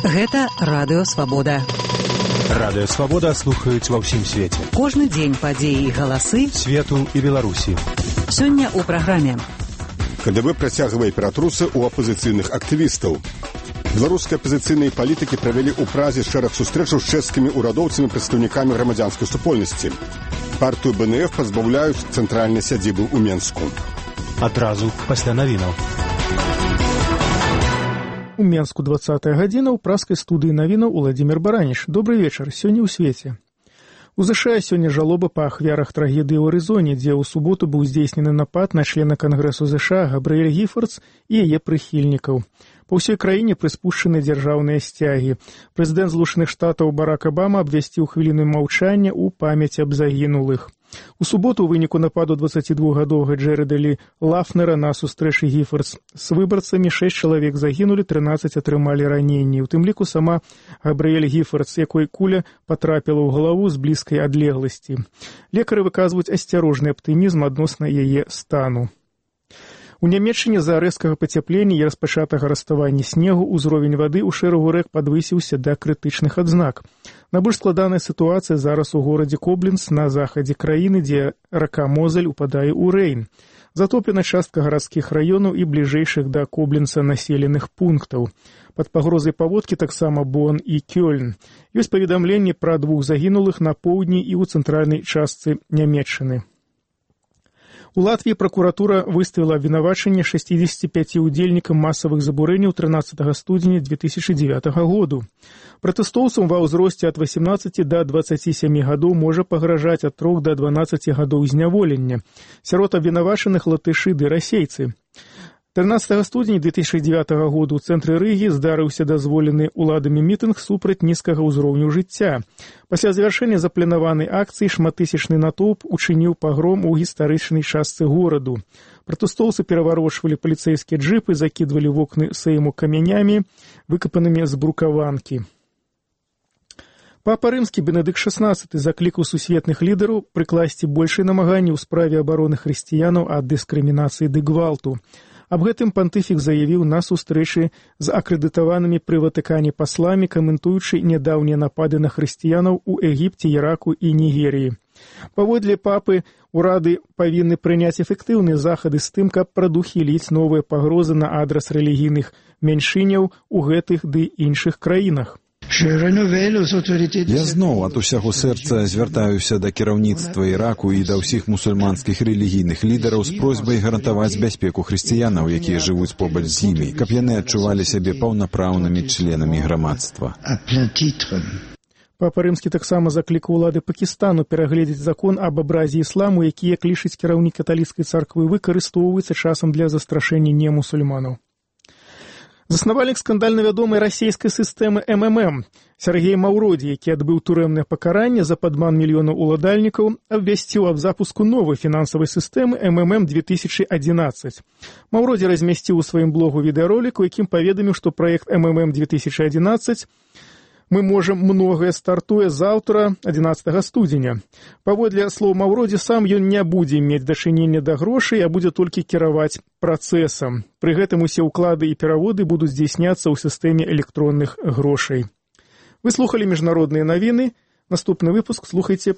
Гэта Радыё Свабода. Радыё Свабода слухаюць ва ўсім свеце. Кожны дзень падзеі і галасы свету і Беларусі. Сёння ў праграме. КДБ працягвае ператрусы ў апазіцыйных актывістаў. Беларускія апазіцыйныя палітыкі правялі ў Празе шэраг сустрэчаў з чэшскімі ўрадоўцамі і прадстаўнікамі грамадзянскай супольнасці. Партыю БНФ пазбаўляюць цэнтральнай сядзібы ў Менску. Адразу пасля навінаў. У Менску 20-я гадзіна, ў праскай студыі навінаў Уладзімір Бараніш. Добры вечар, сёння ў свеце. У ЗША сёння жалоба па ахвярах трагедыі ў Арызоне, дзе ў суботу быў здзейснены напад на члена Кангрэсу ЗША Габрыэль Гіфардс і яе прыхільнікаў. Па ўсёй краіне прыспушчаны дзяржаўныя сцягі. Прэзідэнт Злучаных Штатаў Барак Абама абвясціў хвіліну маўчання ў памяць аб загінулых. У суботу ў выніку нападу 22-гадовага Джэрэда Лі Лафнера на сустрэчы Гіфардс з выбарцамі 6 чалавек загінулі, 13 атрымалі раненні. У тым ліку сама Габрыэль Гіфардс, якой куля патрапіла ў галаву з блізкай адлегласці. Лекары выказваюць асцярожны аптымізм адносна яе стану. У Нямецчыне з-за рэзкага пацяплення і распачатага раставання снегу ўзровень вады ў шэрагу рэк падвысіўся да крытычных адзнак. Найбольш складаная сітуацыя зараз у горадзе Кобленц на захадзе краіны, дзе рака Мозель упадае ў Рэйн. Затоплена частка гарадскіх раёнаў і бліжэйшых да Кобленца населеных пунктаў. Пад пагрозай паводкі таксама Бон і Кёльн. Ёсць паведамленні пра 2 загінулых на поўдні і ў цэнтральнай частцы Нямецчыны. У Латвіі пракуратура выставіла абвінавачанне 65 удзельнікам масавых забурэнняў 13 студзеня 2009 году. Пратэстоўцам ва ўзросце ад 18 да 27 гадоў можа пагражаць ад 3 да 12 гадоў зняволення. Сярод абвінавачаных латышы ды расейцы. 13 студзеня 2009 году ў цэнтры Рыгі здарыўся дазволены ўладамі мітынг супраць нізкага ўзроўню жыцця. Пасля завяршэння запланаванай акцыі шматтысячны натоўп учыніў пагром у гістарычнай частцы гораду. Пратэстоўцы пераварочвалі паліцэйскія джыпы, закідвалі вокны сэйму камянямі, выкапанымі з брукаванкі. Папа рымскі Бенедыкт XVI заклікаў сусветных лідараў прыкласці большыя намаганні ў справе абароны хрысціянаў ад дыскрымінацыі ды гвалту. Аб гэтым пантыфік заявіў на сустрэчы з акрэдытаванымі пры Ватыкане пасламі, каментуючы нядаўнія напады на хрысціянаў у Егіпце, Іраку і Нігерыі. Паводле папы, урады павінны прыняць эфектыўныя захады з тым, каб прадухіліць новыя пагрозы на адрас рэлігійных меншыняў у гэтых ды іншых краінах. Я зноў ад усяго сэрца звяртаюся да кіраўніцтва Іраку і да ўсіх мусульманскіх рэлігійных лідараў з просьбай гарантаваць бяспеку хрысціянаў, якія жывуць побач з імі, каб яны адчувалі сябе паўнапраўнымі членамі грамадства. Папа рымскі таксама заклікаў улады Пакістану перагледзець закон аб абразе ісламу, які, як лічыць кіраўнік каталіцкай царквы, выкарыстоўваецца часам для застрашэння немусульманаў. Заснавальнік скандальна вядомай расійскай сістэмы МММ Сергей Маўродзі, які адбыў турэмнае пакаранне за падман мільёнаў уладальнікаў, абвясціў аб запуску новай фінансавай сістэмы МММ 2011. Маўродзі размясціў у сваім блогу відэаролік, у якім паведаміў, што праект МММ 2011 «Мы можам многае» стартуе заўтра, 11 студзеня. Паводле слоў Маўродзі, сам ён не будзе мець дачынення да грошай, а будзе толькі кіраваць працэсам. Пры гэтым усе ўклады і пераводы будуць здзейсняцца ў сістэме электронных грошай. Вы слухалі міжнародныя навіны. Наступны выпуск слухайце